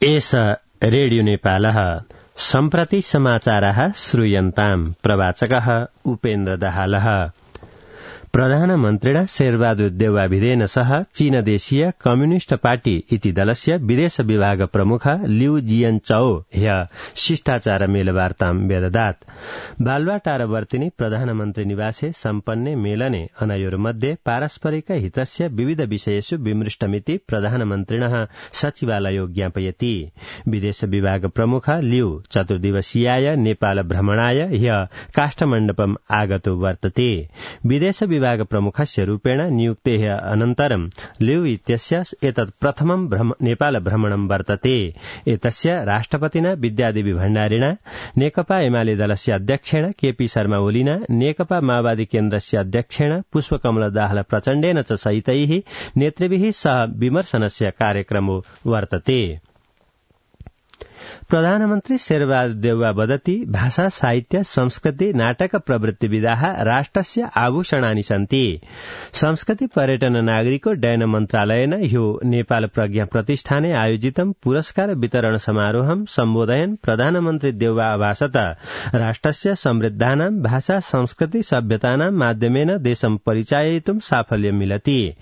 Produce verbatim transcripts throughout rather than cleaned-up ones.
एष रेडियो नेपालः सम्प्रति समाचारः श्रूयन्ताम् प्रवाचकः उपेन्द्र दाहालः। प्रधानमन्त्रिणा शेरबहादुर देउवाभिधेन सह चीनदेशीय कम्युनिष्ट पार्टी इति दलस्य विदेश विभाग प्रमुख लिउ जियनचाओ ह्य शिष्टाचार मेलवार्तां व्यददात्। बालुवाटार वर्तिनी प्रधानमन्त्री निवासे सम्पन्ने मेलने अनयोर्मध्ये पारस्परिक हितस्य विविध विषयेषु विमृष्टमिति प्रधानमन्त्रिणः सचिवालयो ज्ञापयति। विदेश विभाग प्रमुख लिउ चतुर्दिवसीयाय नेपाल भ्रमणाय ह्य काष्ठमण्डपम् आगतो वर्तते। विदेश विभाग प्रमुखस्य रूपेण नियुक्तेः अनन्तरं लिउ इत्यस्य एतत् प्रथमं भ्रम, नेपाल भ्रमणं वर्तते। एतस्य राष्ट्रपतिना विद्यादेवी भण्डारिणा, नेकपा एमाले दलस्य अध्यक्षेण केपी शर्मा ओलीना, नेकपा माओवादी केन्द्रस्य अध्यक्षेण पुष्पकमल दाहाल प्रचण्डेन च सहितैः नेतृभिः सह विमर्शनस्य कार्यक्रमो वर्तते। प्रधानमन्त्री शेरबहादुर देउवा वदति भाषा साहित्य संस्कृति नाटक प्रवृत्ति विधाः राष्ट्रस्य आभूषणानि सन्ति। संस्कृति पर्यटन नागरिक उड्डयन मन्त्रालयेन ह्यो नेपाल प्रज्ञा प्रतिष्ठाने आयोजितं पुरस्कार वितरण समारोहं सम्बोधयन् प्रधानमन्त्री देउवा अभाषत राष्ट्रस्य समृद्धानां भाषा संस्कृति सभ्यतानां माध्यमेन देशं परिचाययितुं साफल्यं मिलति।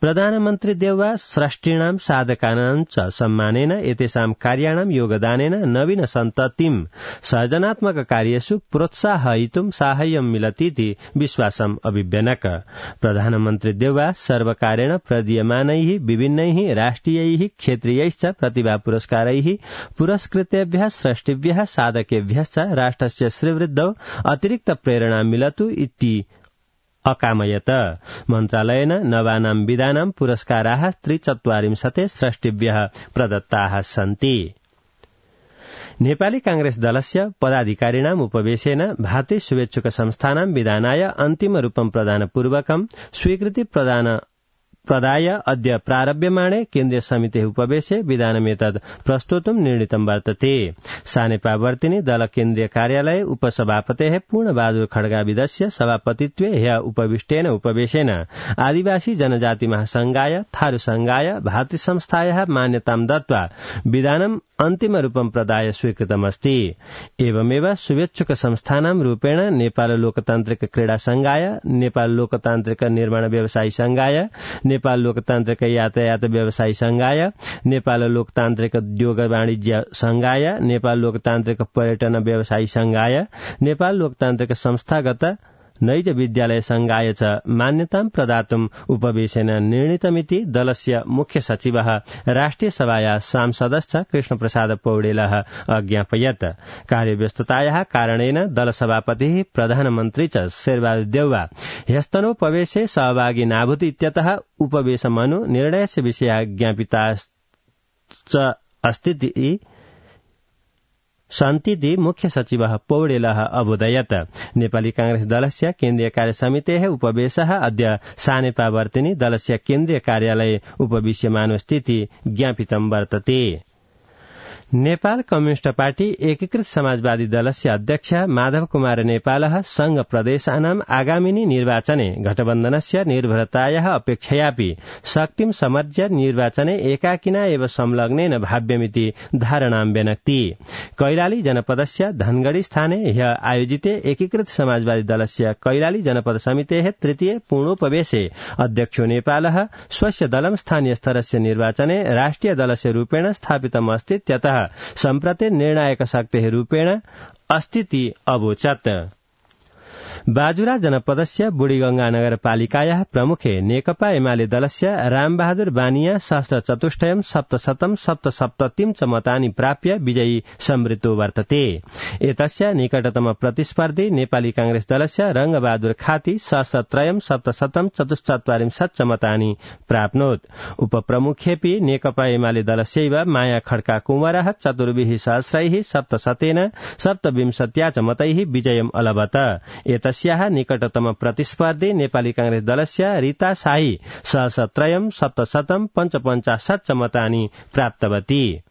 प्रधानमन्त्री देउवा सृष्टिणां साधकानां च सम्मानेन एतेषां कार्याणां योगदानेन नवीन सन्ततिं सर्जनात्मक कार्येषु प्रोत्साहयितुं साहाय्यं मिलतीति विश्वासम् अभिव्यनक। प्रधानमन्त्री देउवा सर्वकारेण प्रदीयमानैः विभिन्नैः राष्ट्रियैः क्षेत्रीयैश्च प्रतिभा पुरस्कारैः पुरस्कृतेभ्यः सृष्टिभ्यः साधकेभ्यश्च राष्ट्रस्य श्रीवृद्धौ अतिरिक्त प्रेरणा मिलतु इति अकामयत। मन्त्रालयेन नवानां विधानां पुरस्काराः त्रिचत्वारिंशते सृष्टिभ्यः प्रदत्ताः सन्ति। नेपाली कांग्रेस दलस्य पदाधिकारिणाम् उपवेशेन भारतीय शुभेच्छुक संस्थानां विधानाय अन्तिम रूपं प्रदानपूर्वकं स्वीकृति प्रदान प्रदाय अद्य प्रारभ्यमाणे केन्द्रीय समितेः उपवेशे विधानमेतद् प्रस्तोतुं निर्णीतं वर्तते। सानेपावर्तिनी दल केन्द्रीय कार्यालये उपसभापतेः पूर्णबहादुर खड्गाविदस्य सभापतित्वे ह्य उपविष्टेन उपवेशेन आदिवासी जनजाति महासंघाय थारू संघाय भातृ संस्थायाः मान्यतां दत्त्वा विधानम् अन्तिम रूपं प्रदाय स्वीकृतमस्ति। एवमेव शुभेच्छुक संस्थानां रूपेण नेपाल लोकतान्त्रिक क्रीडा संघाय, नेपाल लोकतान्त्रिक निर्माण व्यवसायी संघाय, नेपाल लोकतान्त्रिक यातायात व्यवसायी संघाय, नेपाल लोकतान्त्रिक उद्योग वाणिज्य संघाय, नेपाल लोकतान्त्रिक पर्यटन व्यवसायी संघाय, नेपाल लोकतान्त्रिक संस्थागत नैज विद्यालय संघाय च मान्यतां प्रदातुम् उपवेशेन निर्णीतमिति दलस्य मुख्य सचिवः राष्ट्रिय सभाया सांसदश्च कृष्णप्रसाद पौडेलः अज्ञापयत्। कार्यव्यस्ततायाः कारणेन दलसभापतिः प्रधानमन्त्री च शेरबहादुर देउवा ह्यस्तनोपवेशे सहभागी नाभूत् इत्यतः उपवेशमनु निर्णयस्य विषयः ज्ञापिताश्च अस्ति सन्तीति मुख्य सचिवः पौडेलः अबोधयत्। नेपाली कांग्रेस दलस्य केन्द्रीय कार्यसमितेः उपवेशः अद्य सानेपावर्तिनी दलस्य केन्द्रीय कार्यालये उपविश्यमानो स्थिति ज्ञापितं वर्तते। नेपाल कम्युनिष्ट पार्टी एकीकृत समाजवादी दलस्य अध्यक्ष माधव कुमार नेपालः संघ प्रदेशानाम् आगामिनी निर्वाचने गठबन्धनस्य निर्भरतायाः अपेक्षयापि शक्तिं समर्ज्य निर्वाचने एकाकिना एव संलग्नेन भाव्यमिति धारणां व्यनक्ति। कैलाली जनपदस्य धनगढ़ी स्थाने ह्य आयोजिते एकीकृत समाजवादी दलस्य कैलाली जनपद समितेः तृतीय पूर्णोपवेशे अध्यक्षो नेपालः स्वस्य दलं स्थानीय स्तरस्य निर्वाचने राष्ट्रिय दलस्य रूपेण स्थापितमस्ति त्यतः सम्प्रति निर्णायक शक्तेः रूपेण अस्तिति अवोचत्। बाजुरा जनपदस्य बुढीगंगा नगरपालिकायाः प्रमुखे नेकपा एमाले दलस्य रामबहादुर बानिया सहस्र चतुष्टयम् सप्तशतम् सप्तसप्ततिम् च मतानि प्राप्य विजयी समृद्धो वर्तते। एतस्य निकटतम प्रतिस्पर्धी नेपाली कांग्रेस दलस्य रंगबहादुर खाती सहस्रत्रयम् सप्तशतम् चतुश्चत्वारिंशत् च मतानि प्राप्नोत्। उपप्रमुखेऽपि नेकपा एमाले दलस्यैव माया खड्का कुंवरः चतुर्भिः सहस्रैः सप्तशतेन सप्तविंशत्या च मतैः विजयम् अलभत। एतस्याः निकटतम प्रतिस्पर्धी नेपाली कांग्रेस दलस्य रीता शाही सहस्रत्रयम् सप्तशतम् पञ्चपञ्चाशत् च मतानि प्राप्तवती।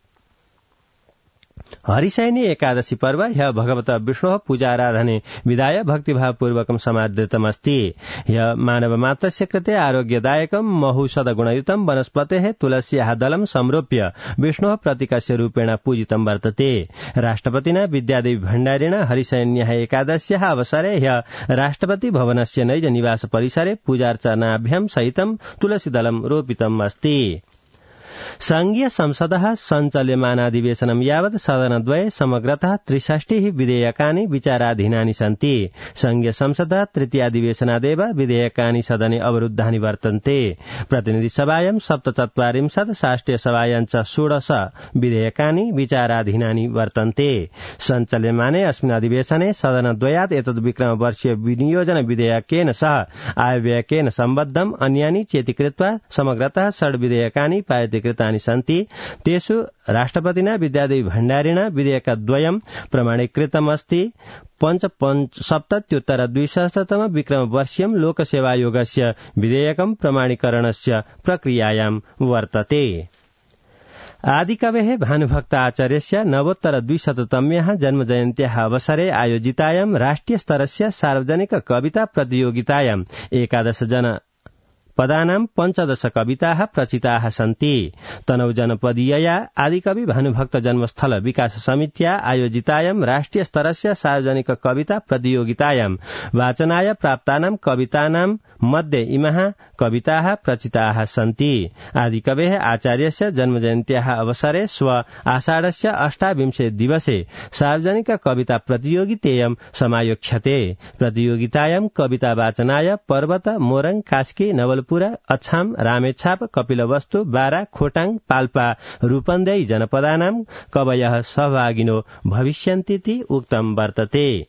हरिशयनी एकादशी पर्व ह्य भगवत विष्णोः पूजाराधने विधाय भक्तिभावपूर्वकं समादृतमस्ति। ह्य मानवमात्रस्य कृते आरोग्यदायकं महौषधगुणयुतं वनस्पतेः तुलस्याः दलं संरोप्य विष्णोः प्रतीकस्य रूपेण पूजितं वर्तते। राष्ट्रपतिना विद्यादेवी भण्डारिणा हरिशयन्याः एकादश्याः अवसरे ह्य राष्ट्रपति भवनस्य नैज निवास परिसरे पूजार्चनाभ्यां सहितं तुलसीदलं रोपितम् अस्ति। संघीय संसदः सञ्चाल्यमानाधिवेशनं यावत् सदनद्वये समग्रतः त्रिषष्टिः विधेयकानि विचाराधीनानि सन्ति। संघीय संसदः तृतीयाधिवेशनादेव विधेयकानि सदने अवरुद्धानि वर्तन्ते। प्रतिनिधिसभायां सप्तचत्वारिंशत् शाष्ट्रियसभायां च षोडश विधेयकानि विचाराधीनानि वर्तन्ते। सञ्चाल्यमाने अस्मिन् अधिवेशने सदनद्वयात् एतद् विक्रमवर्षीय विनियोजन विधेयकेन सह आयव्ययकेन सम्बद्धम् अन्यानि चेति कृत्वा समग्रतः षड् विधेयकानि पारितीकृतानि सन्ति। तेषु राष्ट्रपतिना विद्यादेवी भण्डारिणा विधेयकद्वयं प्रमाणीकृतमस्ति। पञ्चसप्तत्युत्तर द्विसहस्रतम विक्रमवर्षीयं लोकसेवायोगस्य विधेयकं प्रमाणीकरणस्य प्रक्रियायां वर्तते। आदिकवेः भानुभक्त आचार्यस्य नवोत्तर द्विशततम्याः जन्मजयन्त्याः अवसरे आयोजितायां राष्ट्रियस्तरस्य सार्वजनिक कविता प्रतियोगितायां एकादश जन पदानां पञ्चदश कविताः प्रचिताः सन्ति। तनौ जनपदीयया आदिकवि भानुभक्त जन्मस्थल विकास समित्या आयोजितायां राष्ट्रिय स्तरस्य सार्वजनिक कविता प्रतियोगितायां वाचनाय प्राप्तानां कवितानां मध्ये इमाः कविताः प्रचिताः सन्ति। आदिकवेः आचार्यस्य जन्मजयन्त्याः अवसरे श्व आषाढस्य अष्टाविंशे दिवसे सार्वजनिक कविता प्रतियोगितेयं समायोक्ष्यते। प्रतियोगितायां कविता वाचनाय पर्वत, मोरङ, कास्की, नवल पुरा, अछाम, रामेछाप, कपिलवस्तु, बारा, खोटाङ, पाल्पा, रूपन्देही जनपदानां कवयः सहभागिनो भविष्यन्तीति उक्तं वर्तते।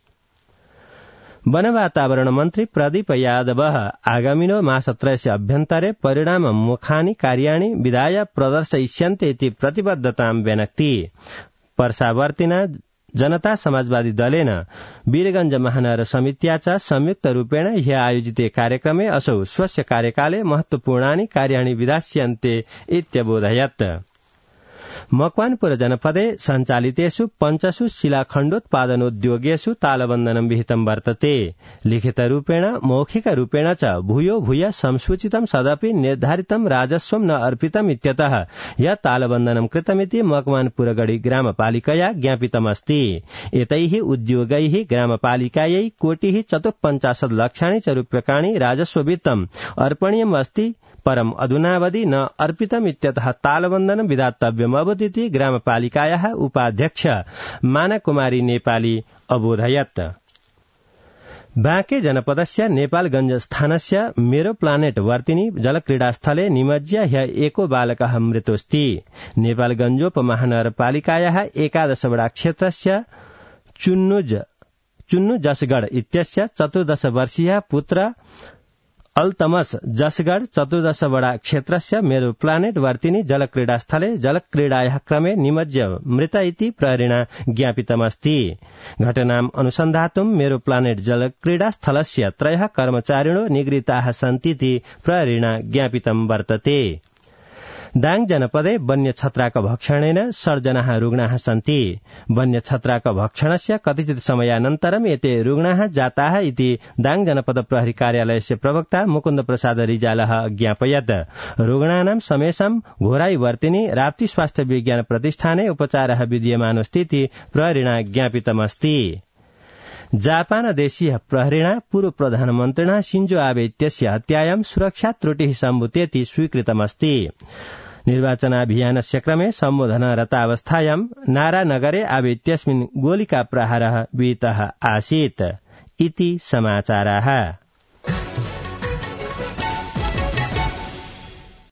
वन वातावरण मन्त्री प्रदीप यादवः आगामिनो मासत्रयस्य अभ्यन्तरे परिणाममुखानि कार्याणि विधाय प्रदर्शयिष्यन्ते इति प्रतिबद्धतां व्यनक्ति। पर्सावर्तिना जनता समाजवादी दलेन वीरगंज महानगर समित्या च संयुक्त रूपेण ह्य आयोजिते कार्यक्रमे असौ स्वस्य कार्यकाले महत्वपूर्णानि कार्याणि विधास्यन्ते इत्यबोधयत्। मकवानपुर जनपदे सञ्चालितेषु पञ्चसु शिलाखण्डोत्पादनोद्योगेषु तालबन्धनं विहितं वर्तते। लिखितरूपेण मौखिकरूपेण च भूयो भूय संसूचितं सदपि निर्धारितं राजस्वं न अर्पितम् इत्यतः यत् तालबन्धनं कृतमिति मकवानपुरगढी ग्रामपालिकया ज्ञापितमस्ति। एतैः उद्योगैः ग्रामपालिकायै कोटिः चतुःपञ्चाशत् लक्षाणि च रूप्यकाणि राजस्ववित्तम् अर्पणीयम् अस्ति। परम् अधुनावधि न अर्पितमित्यतः तालबन्धनं विधातव्यमभूदिति ग्रामपालिकायाः उपाध्यक्ष मानकुमारी नेपाली अबोधयत्। बाँके जनपदस्य नेपालगंज स्थानस्य मेरो प्लानेट वर्तिनी जलक्रीडास्थले निमज्य ह्य एको बालकः मृतोऽस्ति। नेपालगंजोपमहानगरपालिकायाः एकादशवडा क्षेत्रस्य चुन्नुज चुन्नु जसगढ इत्यस्य चतुर्दश वर्षीय पुत्र अल्तमस जसगढ चतुर्दश वडा क्षेत्रस्य मेरो प्लानेट वर्तिनी जलक्रीडास्थले जलक्रीडायाः क्रमे निमज्य मृत इति प्रहरिणा ज्ञापितमस्ति। घटनाम् अनुसन्धातुं मेरो प्लानेट जलक्रीडास्थलस्य त्रयः कर्मचारिणो निगृहीताः सन्तीति प्रहरिणा ज्ञापितं वर्तते। दाङ जनपदे वन्य छत्राक भक्षणेन षड् जनाः रुग्णाः सन्ति। वन्य छत्राक भक्षणस्य कतिचित् समयानन्तरम् एते रुग्णाः जाताः इति दाङ जनपद प्रहरी कार्यालयस्य प्रवक्ता मुकुन्द प्रसाद रिजालः ज्ञापयत्। रुग्णानां समेषां घोराई वर्तिनी राप्ती स्वास्थ्य विज्ञान प्रतिष्ठाने उपचारः विधीयमानोऽस्ति इति प्रहरिणा ज्ञापितमस्ति। जापान देशीय प्रहरिणा पूर्व प्रधानमन्त्रिणा शिंजो आबे इत्यस्य हत्यायां सुरक्षा त्रुटिः सम्भूतेति स्वीकृतमस्ति। निर्वाचनाभियानस्य क्रमे सम्बोधनरतावस्थायां नारानगरे आबे इत्यस्मिन् गोलिका प्रहारः विहितः आसीत् इति समाचाराः।